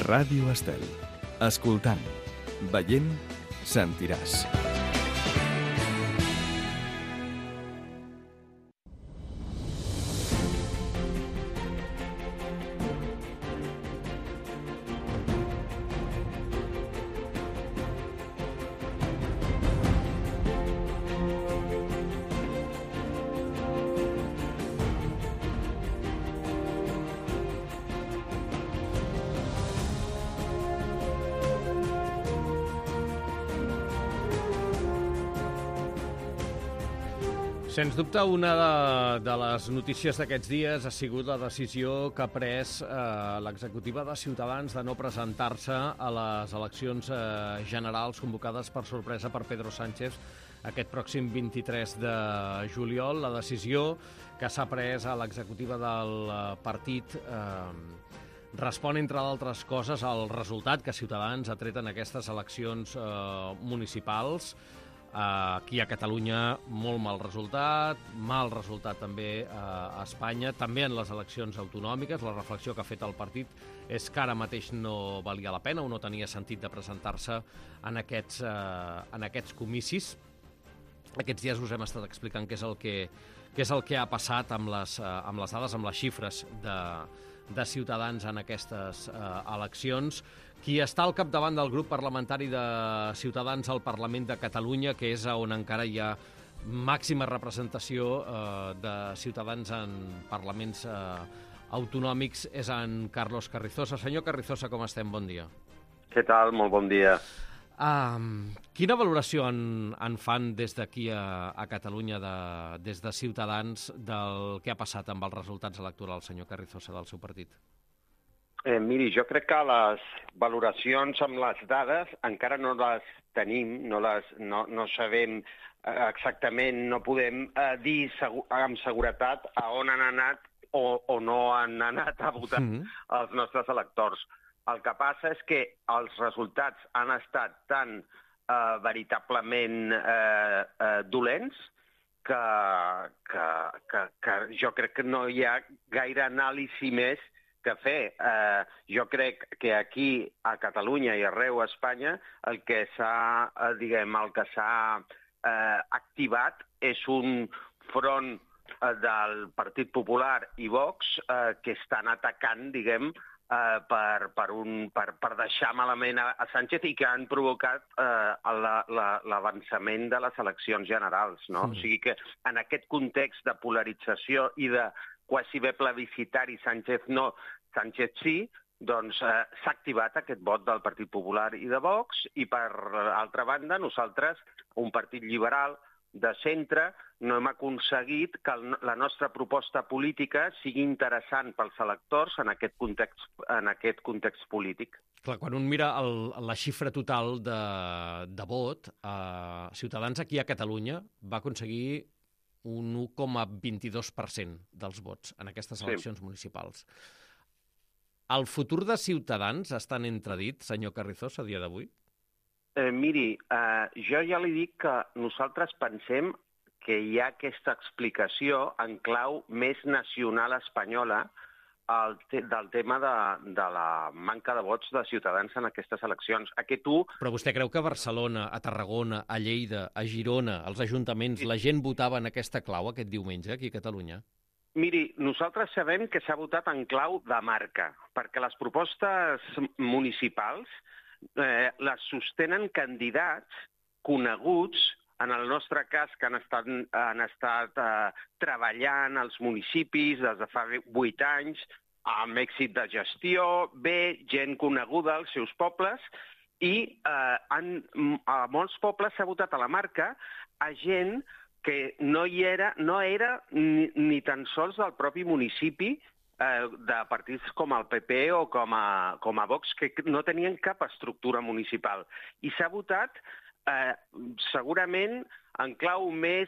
Ràdio Estel. Escoltant, veient, sentiràs. Sens dubte, una de les notícies d'aquests dies ha sigut la decisió que ha pres l'executiva de Ciutadans de no presentar-se a les eleccions generals convocades per sorpresa per Pedro Sánchez aquest pròxim 23 de juliol. La decisió que s'ha pres a l'executiva del partit respon, entre d'altres coses, al resultat que Ciutadans ha tret en aquestes eleccions municipals. Aquí a Catalunya, molt mal resultat també a Espanya, també en les eleccions autonòmiques. La reflexió que ha fet el partit és que ara mateix no valia la pena o no tenia sentit de presentar-se en aquests comicis. Aquests dies us hem estat explicant què és el que ha passat amb les dades, amb les xifres de Ciutadans en aquestes eleccions. Qui està al capdavant del grup parlamentari de Ciutadans al Parlament de Catalunya, que és on encara hi ha màxima representació de Ciutadans en parlaments autonòmics, és en Carlos Carrizosa. Senyor Carrizosa, com estem? Bon dia. Què tal? Molt bon dia. Quina valoració en fan des d'aquí a Catalunya, des de Ciutadans, del que ha passat amb els resultats electorals, senyor Carrizosa, del seu partit? Miri, jo crec que les valoracions amb les dades encara no les tenim, no sabem exactament, no podem dir amb seguretat a on han anat o no han anat a votar els nostres electors. El que passa és que els resultats han estat tan veritablement dolents que jo crec que no hi ha gaire anàlisi més que fer. Jo crec que aquí, a Catalunya i arreu a Espanya, el que s'ha activat és un front del Partit Popular i Vox que estan atacant, per deixar malament a Sánchez i que han provocat l'avançament de les eleccions generals, no? O sigui que en aquest context de polarització i de quasi bé plebiscitari Sánchez no, Sánchez sí, doncs s'ha activat aquest vot del Partit Popular i de Vox i, per altra banda, nosaltres, un partit liberal de centre, no hem aconseguit que la nostra proposta política sigui interessant pels electors en aquest context polític. Clar, quan un mira la xifra total de vot, Ciutadans aquí a Catalunya va aconseguir un 1,22% dels vots en aquestes eleccions municipals. El futur de Ciutadans està en entredit, senyor Carrizosa, a dia d'avui? Miri, jo ja li dic que nosaltres pensem que hi ha aquesta explicació en clau més nacional espanyola del tema de la manca de vots de Ciutadans en aquestes eleccions. Però vostè creu que a Barcelona, a Tarragona, a Lleida, a Girona, als ajuntaments, la gent votava en aquesta clau aquest diumenge aquí a Catalunya? Miri, nosaltres sabem que s'ha votat en clau de marca, perquè les propostes municipals les sostenen candidats coneguts, en el nostre cas, que han estat treballant als municipis des de fa 8 anys, amb èxit de gestió, gent coneguda als seus pobles, i a molts pobles s'ha votat a la marca a gent que no era ni tan sols del propi municipi, de partits com el PP o com a Vox, que no tenien cap estructura municipal. I s'ha votat segurament en clau més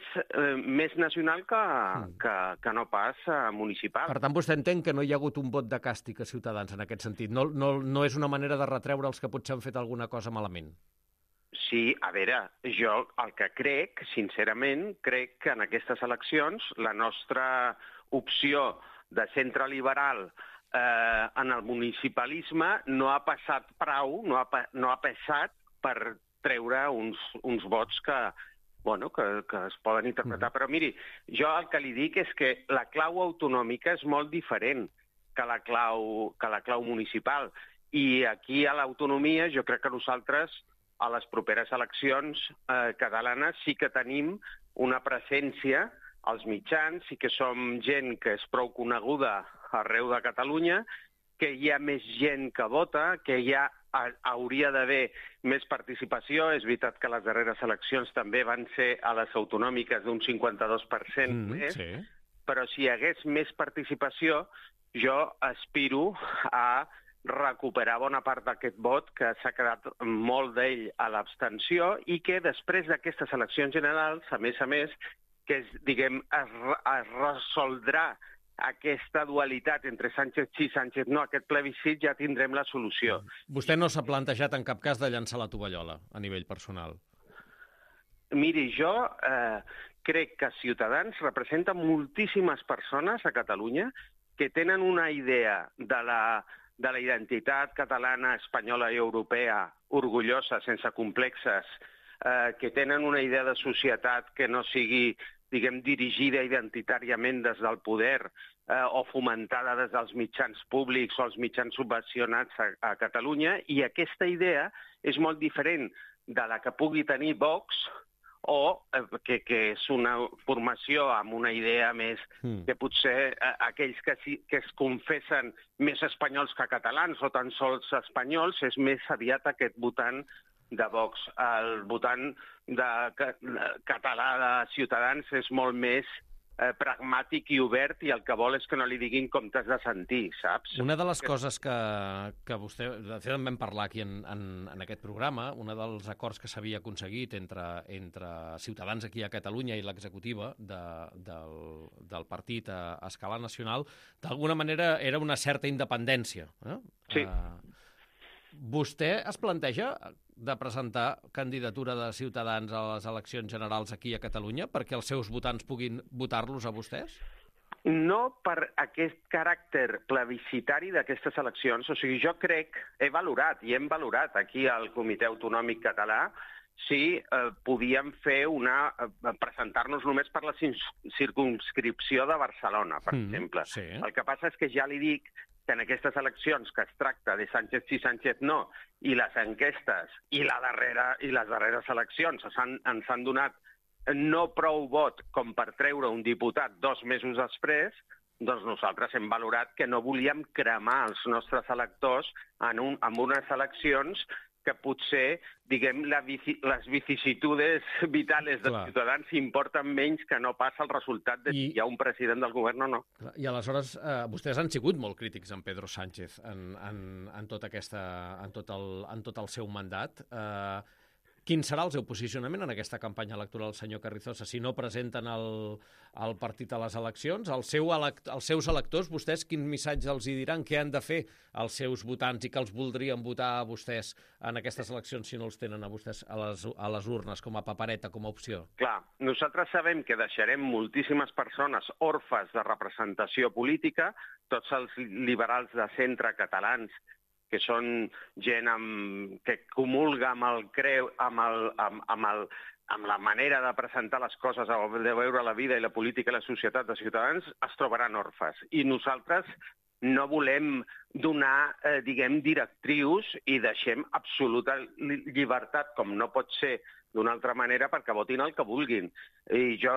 nacional que no pas municipal. Per tant, vostè entén que no hi ha hagut un vot de càstig a Ciutadans en aquest sentit. No és una manera de retreure els que potser han fet alguna cosa malament. Sí, a veure, jo el que crec, sincerament, crec que en aquestes eleccions la nostra opció de centre liberal en el municipalisme no ha passat prou, no ha passat per treure uns vots que es poden interpretar. Però miri, jo el que li dic és que la clau autonòmica és molt diferent que la clau municipal. I aquí a l'autonomia jo crec que nosaltres a les properes eleccions catalanes sí que tenim una presència als mitjans, sí que som gent que és prou coneguda arreu de Catalunya, que hi ha més gent que vota, que hauria d'haver més participació. És veritat que les darreres eleccions també van ser a les autonòmiques d'un 52% més, sí. Però si hi hagués més participació, jo aspiro a recuperar bona part d'aquest vot, que s'ha quedat molt d'ell a l'abstenció, i que després d'aquestes eleccions generals, a més, que es resoldrà aquesta dualitat entre Sánchez sí, Sánchez no, aquest plebiscit, ja tindrem la solució. Vostè no s'ha plantejat en cap cas de llançar la tovallola a nivell personal? Miri, jo crec que Ciutadans representa moltíssimes persones a Catalunya que tenen una idea de la identitat catalana, espanyola i europea orgullosa, sense complexes, que tenen una idea de societat que no sigui, dirigida identitàriament des del poder o fomentada des dels mitjans públics o els mitjans subvencionats a Catalunya, i aquesta idea és molt diferent de la que pugui tenir Vox, o que és una formació amb una idea més que potser aquells que es confessen més espanyols que catalans o tan sols espanyols, és més aviat aquest votant de Vox. El votant català de Ciutadans és molt més pragmàtic i obert, i el que vol és que no li diguin com t'has de sentir, saps? Una de les coses que vostè... De fet, en vam parlar aquí en aquest programa, un dels acords que s'havia aconseguit entre Ciutadans aquí a Catalunya i l'executiva del partit a escala nacional, d'alguna manera era una certa independència. Sí. Vostè es planteja de presentar candidatura de Ciutadans a les eleccions generals aquí a Catalunya perquè els seus votants puguin votar-los a vostès? No per aquest caràcter plebiscitari d'aquestes eleccions. O sigui, jo crec, hem valorat aquí al Comitè Autonòmic Català si podíem fer presentar-nos només per la circumscripció de Barcelona, per exemple. Sí. El que passa és que ja li dic que en aquestes eleccions que es tracta de Sánchez sí, Sánchez no, i les enquestes i les darreres eleccions ens han donat no prou vot com per treure un diputat 2 mesos després, doncs nosaltres hem valorat que no volíem cremar els nostres electors en unes eleccions que potser, les vicissitudes vitales dels ciutadans importen menys que no passa el resultat de si hi ha un president del govern o no. I aleshores, vostès han sigut molt crítics amb Pedro Sánchez en tot el seu mandat. Quin serà el seu posicionament en aquesta campanya electoral, senyor Carrizosa? Si no presenten el partit a les eleccions, als seus electors, vostès quin missatge els hi diran? Què han de fer els seus votants i que els voldrien votar a vostès en aquestes eleccions si no els tenen a vostès a les urnes com a papereta, com a opció? Clar, nosaltres sabem que deixarem moltíssimes persones orfes de representació política, tots els liberals de centre catalans que són gent que comulga amb la manera de presentar les coses, de veure la vida i la política i la societat de Ciutadans, es trobaran orfes. I nosaltres no volem donar, directrius i deixem absoluta llibertat, com no pot ser d'una altra manera, perquè votin el que vulguin. I jo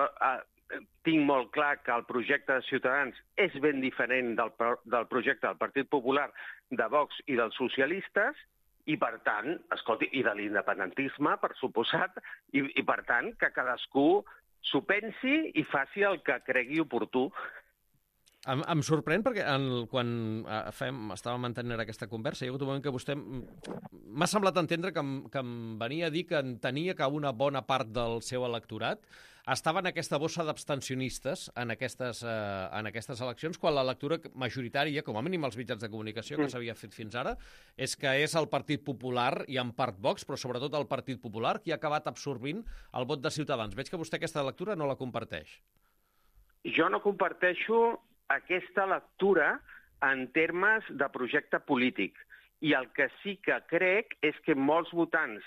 tinc molt clar que el projecte de Ciutadans és ben diferent del projecte del Partit Popular, de Vox i dels socialistes, i per tant, escolti, i de l'independentisme, per suposat, i per tant, que cadascú s'ho pensi i faci el que cregui oportú. Em sorprèn perquè quan estàvem mantenint aquesta conversa, hi ha hagut un moment que vostè m'ha semblat entendre que em venia a dir que entenia que una bona part del seu electorat estava en aquesta bossa d'abstencionistes en aquestes eleccions, quan la lectura majoritària, com a mínim als mitjans de comunicació que s'havia fet fins ara, és que és el Partit Popular i en part Vox, però sobretot el Partit Popular, qui ha acabat absorbint el vot de Ciutadans. Veig que vostè aquesta lectura no la comparteix. Jo no comparteixo aquesta lectura en termes de projecte polític. I el que sí que crec és que molts votants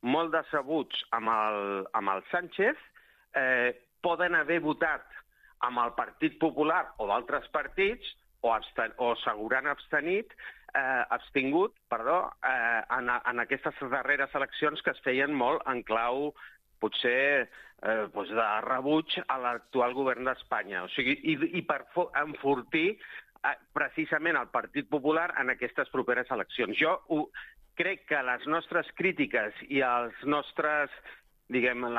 molt decebuts amb el Sánchez poden haver votat amb el Partit Popular o d'altres partits o s'hauran abstingut en aquestes darreres eleccions que es feien molt en clau potser de rebuig a l'actual govern d'Espanya. O sigui, i per enfortir precisament el Partit Popular en aquestes properes eleccions. Jo crec que les nostres crítiques i la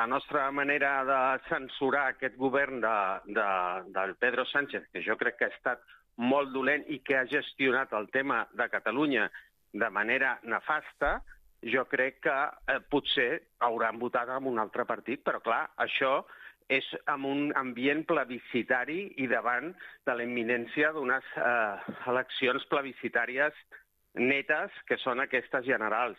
nostra manera de censurar aquest govern del Pedro Sánchez, que jo crec que ha estat molt dolent i que ha gestionat el tema de Catalunya de manera nefasta, jo crec que potser hauran votat en un altre partit, però clar, això és en un ambient plebiscitari i davant de la imminència d'unes eleccions plebiscitàries netes, que són aquestes generals.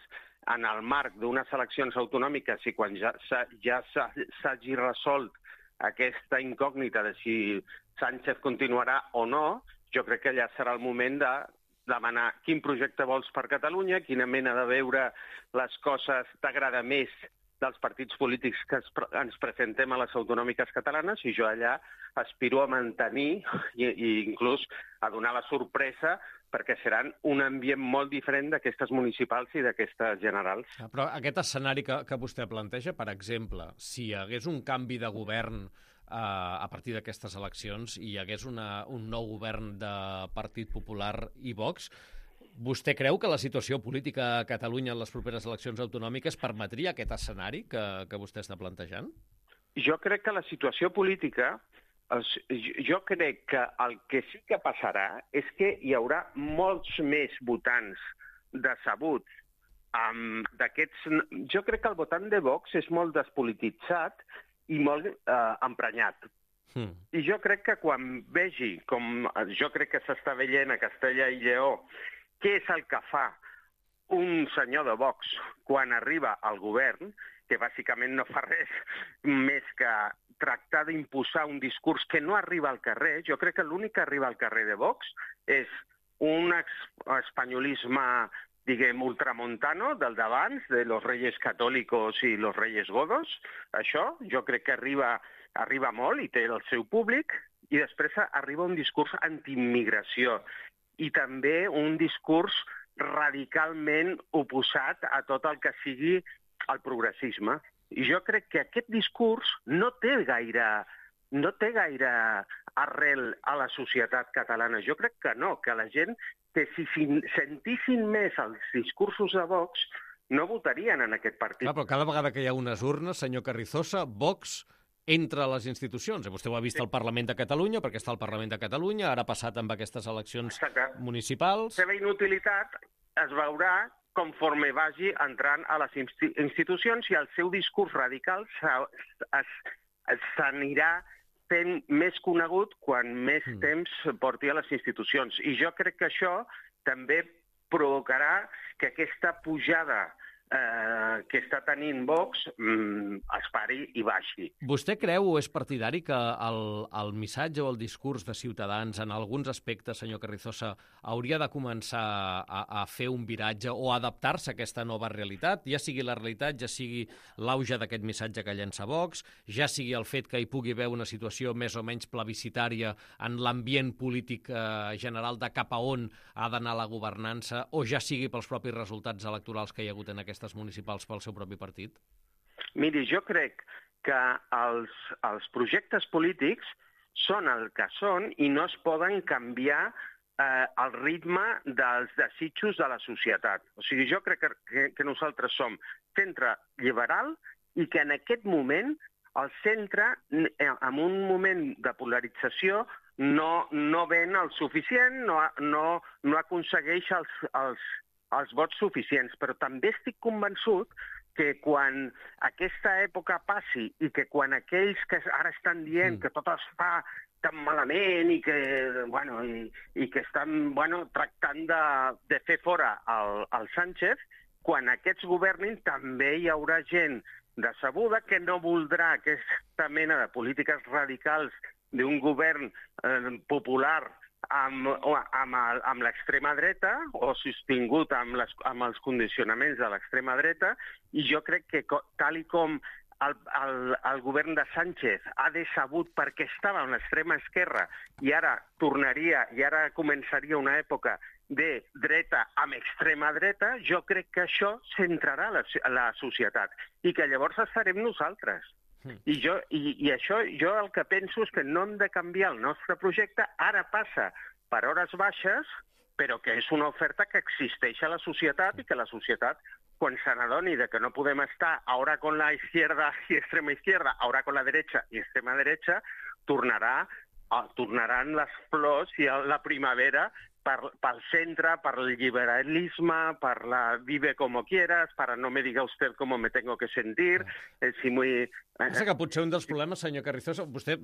En el marc d'unes eleccions autonòmiques i quan ja s'hagi resolt aquesta incògnita de si Sánchez continuarà o no, jo crec que ja serà el moment de demanar quin projecte vols per Catalunya, quina mena de veure les coses t'agrada més dels partits polítics que ens presentem a les autonòmiques catalanes, i jo allà aspiro a mantenir i inclús a donar la sorpresa perquè seran un ambient molt diferent d'aquestes municipals i d'aquestes generals. Però aquest escenari que vostè planteja, per exemple, si hi hagués un canvi de govern a partir d'aquestes eleccions i hi hagués un nou govern de Partit Popular i Vox, vostè creu que la situació política a Catalunya en les properes eleccions autonòmiques permetria aquest escenari que vostè està plantejant? Jo crec que la situació política, jo crec que el que sí que passarà és que hi haurà molts més votants decebuts. Jo crec que el votant de Vox és molt despolititzat i molt emprenyat. I jo crec que quan vegi, com jo crec que s'està veient a Castella i Lleó, què és el que fa un senyor de Vox quan arriba al govern, que bàsicament no fa res més que tractar d'imposar un discurs que no arriba al carrer. Jo crec que l'únic que arriba al carrer de Vox és un espanyolisme, diguem, ultramontano, del d'abans, de los reyes católicos i los reyes godos. Això jo crec que arriba molt i té el seu públic, i després arriba un discurs antiimmigració i també un discurs radicalment oposat a tot el que sigui el progressisme. I jo crec que aquest discurs no té gaire arrel a la societat catalana. Jo crec que no, que la gent, que si sentissin més els discursos de Vox, no votarien en aquest partit. Clar, però cada vegada que hi ha unes urnes, senyor Carrizosa, Vox entra a les institucions. Vostè ho ha vist al Parlament de Catalunya, perquè està al Parlament de Catalunya, ara ha passat amb aquestes eleccions municipals. La seva inutilitat es veurà conforme vagi entrant a les institucions i el seu discurs radical s'anirà fent més conegut quan més temps porti a les institucions. I jo crec que això també provocarà que aquesta pujada que està tenint Vox es pari i baixi. Vostè creu o és partidari que el missatge o el discurs de Ciutadans en alguns aspectes, senyor Carrizosa, hauria de començar a fer un viratge o adaptar-se a aquesta nova realitat, ja sigui la realitat, ja sigui l'auge d'aquest missatge que llença Vox, ja sigui el fet que hi pugui haver una situació més o menys plebiscitària en l'ambient polític general de cap a on ha d'anar la governança, o ja sigui pels propis resultats electorals que hi ha hagut en aquestes municipals pel seu propi partit? Miri, jo crec que els projectes polítics són el que són i no es poden canviar el ritme dels desitjos de la societat. O sigui, jo crec que nosaltres som centre liberal i que en aquest moment el centre, en un moment de polarització, no ven el suficient, no aconsegueix els vots suficients, però també estic convençut que quan aquesta època passi i que quan aquells que ara estan dient que tot es fa tan malament i que estan tractant de fer fora el Sánchez, quan aquests governin també hi haurà gent decebuda que no voldrà aquesta mena de polítiques radicals d'un govern popular amb l'extrema dreta o sostingut amb els condicionaments de l'extrema dreta, i jo crec que tal i com el govern de Sánchez ha decebut perquè estava en l'extrema esquerra i ara començaria una època de dreta amb extrema dreta, jo crec que això centrarà la societat i que llavors estarem nosaltres. I això jo el que penso és que no hem de canviar el nostre projecte, ara passa per hores baixes, però que és una oferta que existeix a la societat i que la societat, quan se n'adoni de que no podem estar ahora con la izquierda y extrema izquierda, ahora con la derecha y extrema derecha, tornaran les flors i la primavera pel centre, per el liberalisme, per la vive como quieras, para no me diga usted cómo me tengo que sentir. Pensa que potser un dels problemes, senyor Carrizosa, vostè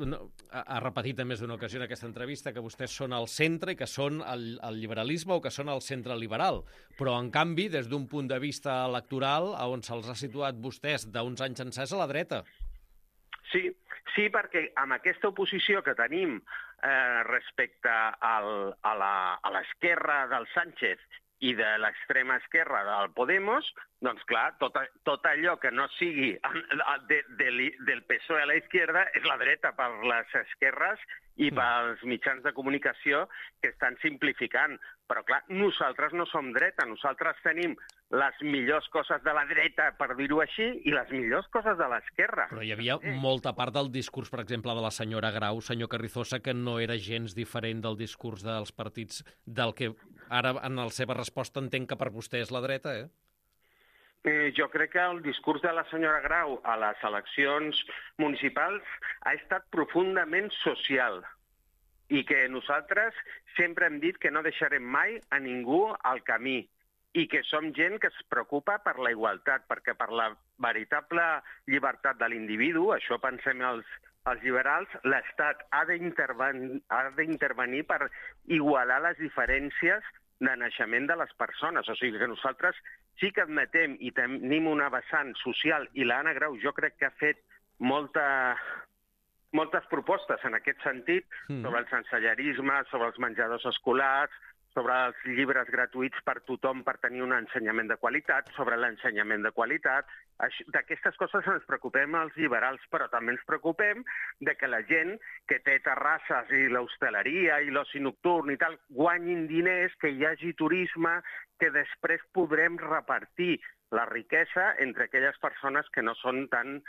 ha repetit en més d'una ocasió en aquesta entrevista que vostès són al centre i que són el liberalisme o que són el centre liberal. Però, en canvi, des d'un punt de vista electoral, on se'ls ha situat vostès d'uns anys encès a la dreta. Sí, perquè amb aquesta oposició que tenim respecte a l'esquerra del Sánchez i de l'extrema esquerra del Podemos, doncs clar, tot allò que no sigui del PSOE a la izquierda és la dreta per les esquerres i pels mitjans de comunicació que estan simplificant. Però clar, nosaltres no som dreta, nosaltres tenim les millors coses de la dreta, per dir-ho així, i les millors coses de l'esquerra. Però hi havia molta part del discurs, per exemple, de la senyora Grau, senyor Carrizosa, que no era gens diferent del discurs dels partits del que ara, en la seva resposta, entenc que per vostè és la dreta, Jo crec que el discurs de la senyora Grau a les eleccions municipals ha estat profundament social i que nosaltres sempre hem dit que no deixarem mai a ningú al camí i que som gent que es preocupa per la igualtat, perquè per la veritable llibertat de l'individu, això pensem els liberals, l'Estat ha d'intervenir per igualar les diferències de naixement de les persones. O sigui que nosaltres sí que admetem i tenim una vessant social, i l'Anna Grau jo crec que ha fet moltes propostes en aquest sentit, sobre el sensellarisme, sobre els menjadors escolars, sobre els llibres gratuïts per tothom per tenir un ensenyament de qualitat, sobre l'ensenyament de qualitat. D'aquestes coses ens preocupem els liberals, però també ens preocupem de que la gent que té terrasses i l'hostaleria i l'oci nocturn i tal guanyin diners, que hi hagi turisme, que després podrem repartir la riquesa entre aquelles persones que no són tan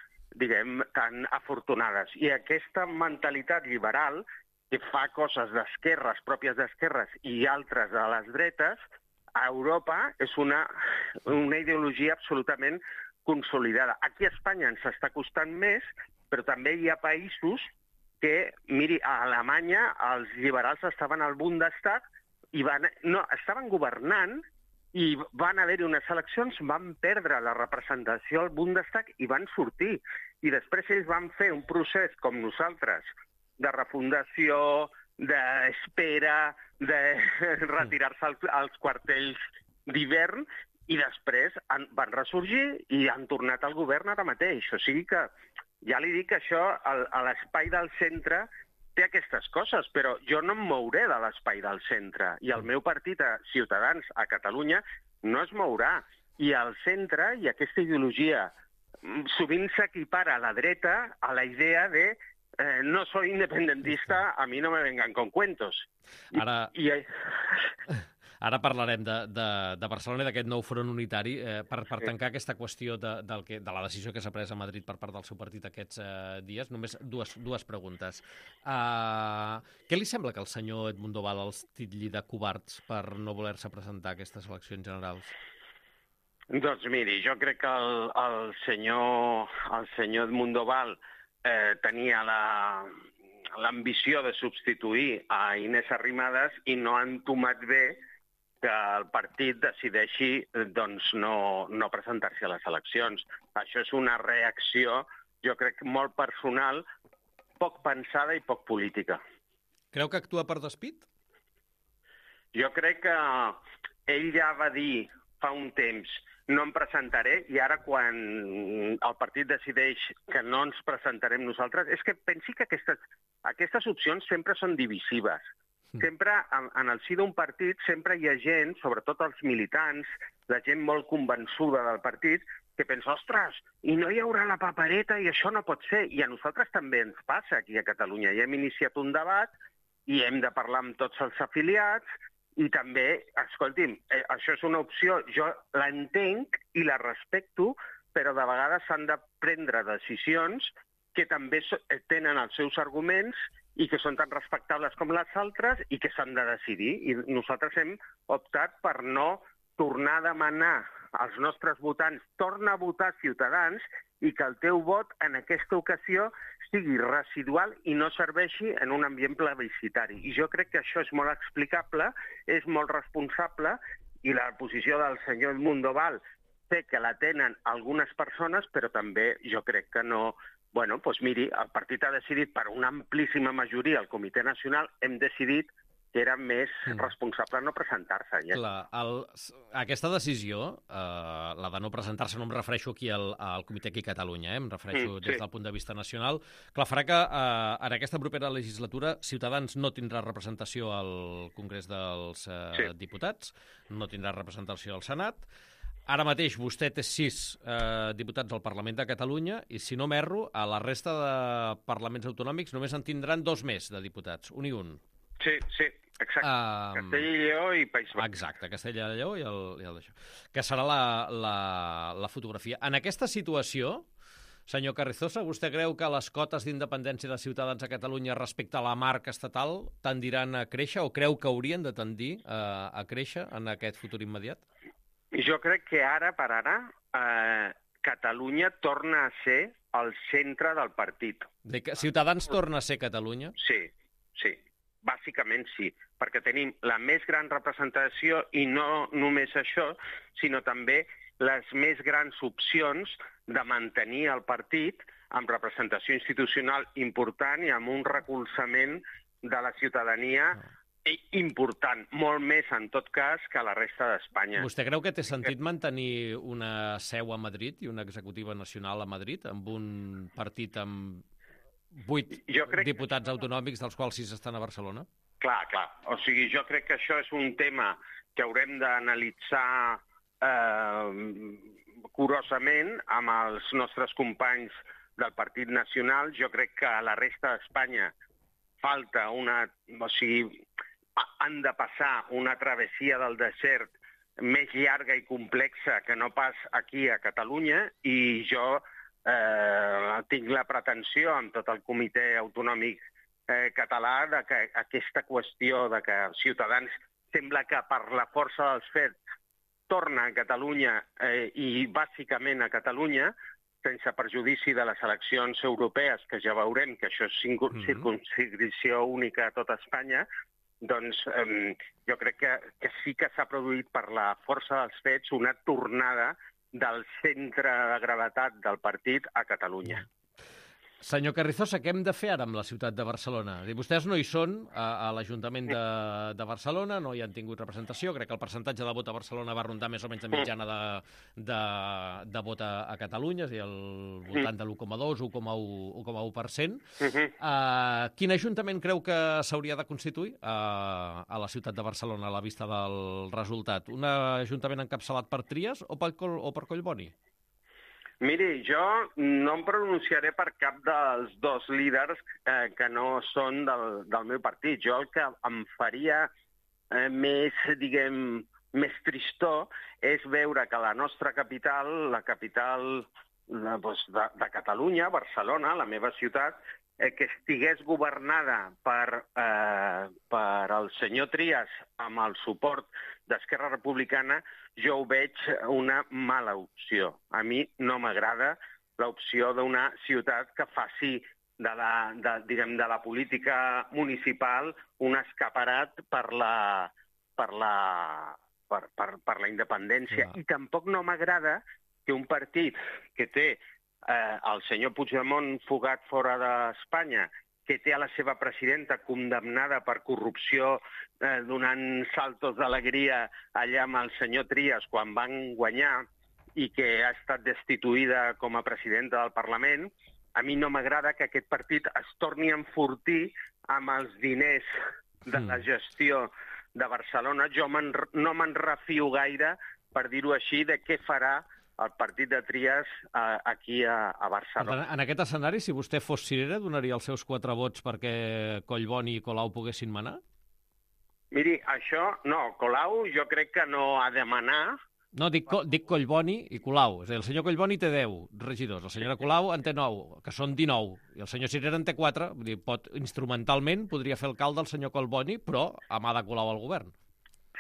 afortunades. I aquesta mentalitat liberal que fa coses d'esquerres, pròpies d'esquerres, i altres de les dretes, a Europa és una ideologia absolutament consolidada. Aquí a Espanya ens està costant més, però també hi ha països que, miri, a Alemanya els liberals estaven al Bundestag i estaven governant i van haver-hi unes eleccions, van perdre la representació al Bundestag i van sortir. I després ells van fer un procés com nosaltres, de refundació, d'espera, de retirar-se als quartells d'hivern, i després van ressorgir i han tornat al govern ara mateix. O sigui que ja li dic que això, a l'espai del centre, té aquestes coses, però jo no em mouré de l'espai del centre. I el meu partit, Ciutadans, a Catalunya, no es mourà. I al centre, i aquesta ideologia, sovint s'equipara a la dreta a la idea de no soy independentista, a mi no me vengan con cuentos. Ara parlarem de Barcelona i d'aquest nou front unitari per tancar aquesta qüestió de la decisió que s'ha pres a Madrid per part del seu partit aquests dies. Només dues preguntes. Què li sembla que el senyor Edmundo Val els titlli de covards per no voler-se presentar a aquestes eleccions generals? Doncs miri, jo crec que el senyor Edmundo Val tenia l'ambició de substituir a Inés Arrimadas i no ha entomat bé que el partit decideixi no presentar-se a les eleccions. Això és una reacció, jo crec, molt personal, poc pensada i poc política. Creu que actua per despit? Jo crec que ell ja va dir fa un temps no em presentaré, i ara quan el partit decideix que no ens presentarem nosaltres, és que pensi que aquestes opcions sempre són divisives. sempre, en el si d'un partit, sempre hi ha gent, sobretot els militants, la gent molt convençuda del partit, que pensa, ostres, i no hi haurà la papereta i això no pot ser. I a nosaltres també ens passa aquí a Catalunya. Ja hem iniciat un debat i hem de parlar amb tots els afiliats i també, escolti'm, això és una opció, jo l'entenc i la respecto, però de vegades s'han de prendre decisions que també tenen els seus arguments i que són tan respectables com les altres i que s'han de decidir. I nosaltres hem optat per no tornar a demanar als nostres votants, torna a votar Ciutadans i que el teu vot en aquesta ocasió sigui residual i no serveixi en un ambient plebiscitari. I jo crec que això és molt explicable, és molt responsable i la posició del senyor Edmundo Val sé que la tenen algunes persones, però també jo crec que no. Bueno, doncs miri, el partit ha decidit per una amplíssima majoria, el Comitè Nacional, hem decidit que era més responsable no presentar-se. Ja. Clar, aquesta decisió, la de no presentar-se, no em refereixo aquí al comitè aquí a Catalunya, em refereixo des del punt de vista nacional, clar, farà que en aquesta propera legislatura Ciutadans no tindrà representació al Congrés dels Diputats, no tindrà representació al Senat. Ara mateix vostè té 6 diputats al Parlament de Catalunya i, si no m'erro, a la resta de parlaments autonòmics només en tindran 2 més de diputats, un i un. Sí, exacte. Castella i Lleó i País Basc. Exacte, Castella i Lleó i el d'això. Que serà la fotografia. En aquesta situació, senyor Carrizosa, vostè creu que les cotes d'independència de Ciutadans a Catalunya respecte a la marca estatal tendiran a créixer o creu que haurien de tendir a créixer en aquest futur immediat? Jo crec que ara per ara Catalunya torna a ser el centre del partit. Ciutadans torna a ser Catalunya? Sí. Bàsicament sí, perquè tenim la més gran representació i no només això, sinó també les més grans opcions de mantenir el partit amb representació institucional important i amb un recolzament de la ciutadania important, molt més en tot cas que a la resta d'Espanya. Vostè creu que té sentit mantenir una seu a Madrid i una executiva nacional a Madrid amb un partit amb 8 diputats autonòmics, dels quals 6 estan a Barcelona? Clar. O sigui, jo crec que això és un tema que haurem d'analitzar curosament amb els nostres companys del Partit Nacional. Jo crec que a la resta d'Espanya falta o sigui, han de passar una travessia del desert més llarga i complexa que no pas aquí a Catalunya i jo tinc la pretensió amb tot el Comitè Autonòmic Català de que aquesta qüestió de que Ciutadans sembla que per la força dels fets torna a Catalunya i bàsicament a Catalunya, sense perjudici de les eleccions europees, que ja veurem que això és circumscripció única a tota Espanya, doncs jo crec que sí que s'ha produït per la força dels fets una tornada del centre de gravetat del partit a Catalunya. Senyor Carrizosa, què hem de fer ara amb la ciutat de Barcelona? Vostès no hi són a l'Ajuntament de Barcelona, no hi han tingut representació. Crec que el percentatge de vot a Barcelona va rondar més o menys de mitjana de vot a Catalunya, és a dir, al voltant de l'1,2, 1,1%. Quin ajuntament creu que s'hauria de constituir a la ciutat de Barcelona a la vista del resultat? Un ajuntament encapçalat per Trias o per Collboni? Miri, jo no em pronunciaré per cap dels 2 líders que no són del meu partit. Jo el que em faria més tristor és veure que la nostra capital, la capital de Catalunya, Barcelona, la meva ciutat, que estigués governada per el senyor Trias amb el suport d'Esquerra Republicana, jo ho veig una mala opció. A mi no m'agrada l'opció d'una ciutat que faci de la política municipal un escaparat per la independència. I tampoc no m'agrada que un partit que té el senyor Puigdemont fugat fora d'Espanya, que té a la seva presidenta condemnada per corrupció donant saltos d'alegria allà amb el senyor Trias quan van guanyar i que ha estat destituïda com a presidenta del Parlament, a mi no m'agrada que aquest partit es torni a enfortir amb els diners de la gestió de Barcelona. Jo no me'n refio gaire, per dir-ho així, de què farà el partit de Trias aquí a Barcelona. En aquest escenari, si vostè fos cirera, donaria els seus 4 vots perquè Collboni i Colau poguessin manar? Miri, això, no, Colau jo crec que no ha de manar. No, dic Collboni i Colau. És a dir, el senyor Collboni té 10 regidors, la senyora Colau en té 9, que són 19, i el senyor Cirera en té 4. Vull dir, instrumentalment podria fer alcalde el senyor Collboni, però a mà de Colau al govern.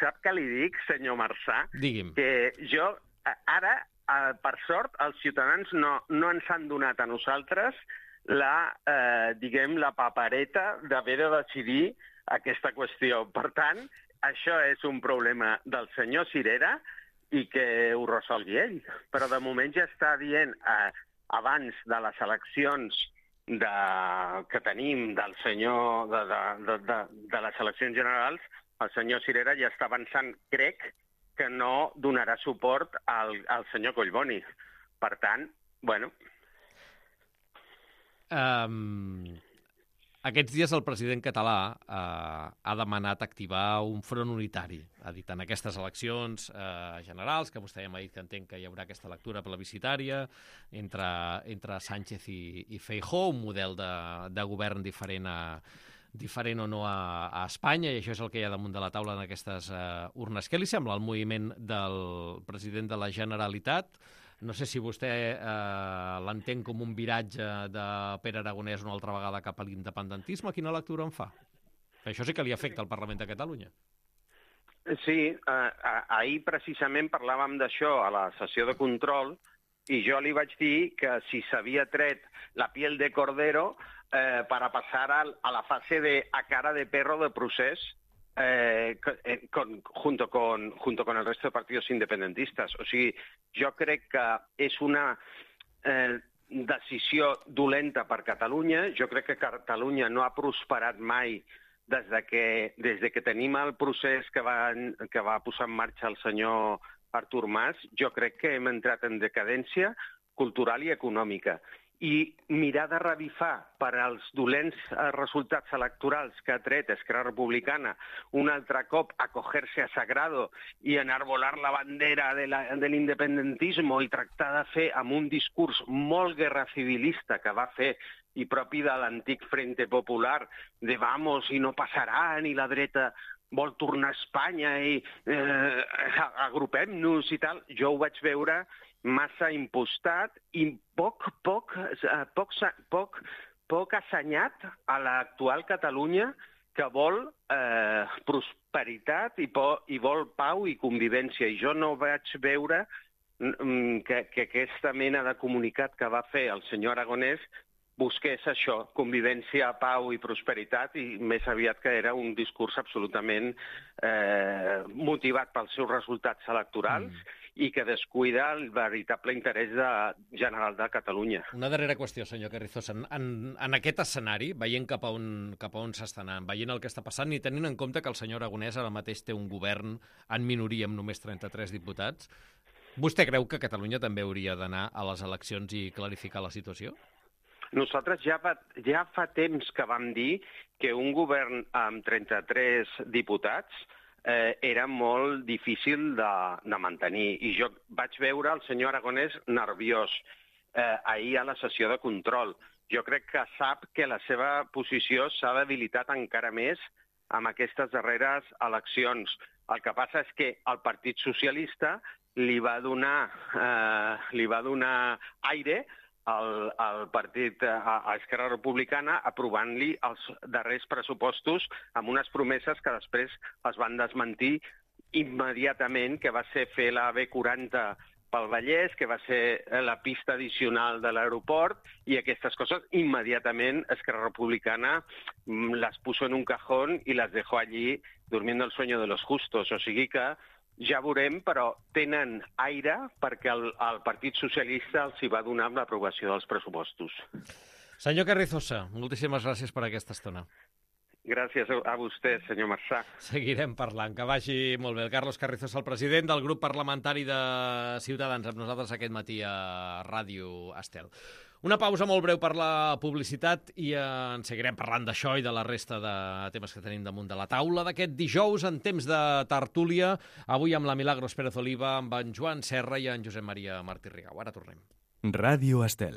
Sap què li dic, senyor Marçà? Digui'm. Que jo, ara, per sort, els ciutadans no ens han donat a nosaltres la papereta d'haver de decidir aquesta qüestió. Per tant, això és un problema del senyor Cirera i que ho resolgui ell. Però de moment ja està dient, abans de les eleccions que tenim del senyor de les eleccions generals, el senyor Cirera ja està avançant, crec, que no donarà suport al senyor Collboni. Per tant, bueno... Aquests dies el president català ha demanat activar un front unitari. Ha dit en aquestes eleccions generals, que vostè ja m'ha dit que entenc que hi haurà aquesta lectura plebiscitària entre Sánchez i Feijóo, un model de govern diferent o no a Espanya, i això és el que hi ha damunt de la taula en aquestes urnes. Què li sembla el moviment del president de la Generalitat? No sé si vostè l'entén com un viratge de Pere Aragonès una altra vegada cap a l'independentisme. Quina lectura en fa? Això sí que li afecta al Parlament de Catalunya. Sí, ahir precisament parlàvem d'això a la sessió de control i jo li vaig dir que si s'havia tret la piel de cordero para passar a la fase de a cara de perro de procés junto con el resto de partidos independentistas. O sigui, jo crec que és una decisió dolenta per Catalunya. Jo crec que Catalunya no ha prosperat mai des que tenim el procés que va posar en marxa el senyor Artur Mas. Jo crec que hem entrat en decadència cultural i econòmica. I mirar de revifar per als dolents resultats electorals que ha tret Esquerra Republicana un altre cop acoger-se a Sagrado i enarbolar la bandera de l'independentisme i tractar de fer amb un discurs molt guerra civilista que va fer i propi de l'antic Frente Popular de vamos i no passarà ni la dreta vol tornar a Espanya i agrupem-nos i tal. Jo ho vaig veure massa impostat i poc assenyat a l'actual Catalunya que vol prosperitat i vol pau i convivència. I jo no vaig veure que aquesta mena de comunicat que va fer el senyor Aragonès busqués això, convivència, pau i prosperitat, i més aviat que era un discurs absolutament motivat pels seus resultats electorals i que descuida el veritable interès general de Catalunya. Una darrera qüestió, senyor Carrizosa. En aquest escenari, veient cap a on s'està anant, veient el que està passant i tenint en compte que el senyor Aragonès ara mateix té un govern en minoria amb només 33 diputats, vostè creu que Catalunya també hauria d'anar a les eleccions i clarificar la situació? Nosaltres ja fa temps que vam dir que un govern amb 33 diputats era molt difícil de mantenir. I jo vaig veure el senyor Aragonès nerviós ahir a la sessió de control. Jo crec que sap que la seva posició s'ha debilitat encara més amb aquestes darreres eleccions. El que passa és que el Partit Socialista li va donar aire al partit, a Esquerra Republicana, aprovant-li els darrers pressupostos amb unes promeses que després es van desmentir immediatament, que va ser fer la B40 pel Vallès, que va ser la pista addicional de l'aeroport, i aquestes coses immediatament Esquerra Republicana les puso en un cajón i les dejó allí durmiendo el sueño de los justos. O sigui que ja veurem, però tenen aire perquè el Partit Socialista els hi va donar amb l'aprovació dels pressupostos. Senyor Carrizosa, moltíssimes gràcies per aquesta estona. Gràcies a vostè, senyor Marçà. Seguirem parlant. Que vagi molt bé. El Carlos Carrizosa, el president del grup parlamentari de Ciutadans, amb nosaltres aquest matí a Ràdio Estel. Una pausa molt breu per la publicitat i en seguirem parlant d'això i de la resta de temes que tenim damunt de la taula d'aquest dijous en temps de tertúlia. Avui amb la Milagros Pérez Oliva, amb en Joan Serra i en Josep Maria Martí Rigau. Ara tornem. Ràdio Estel.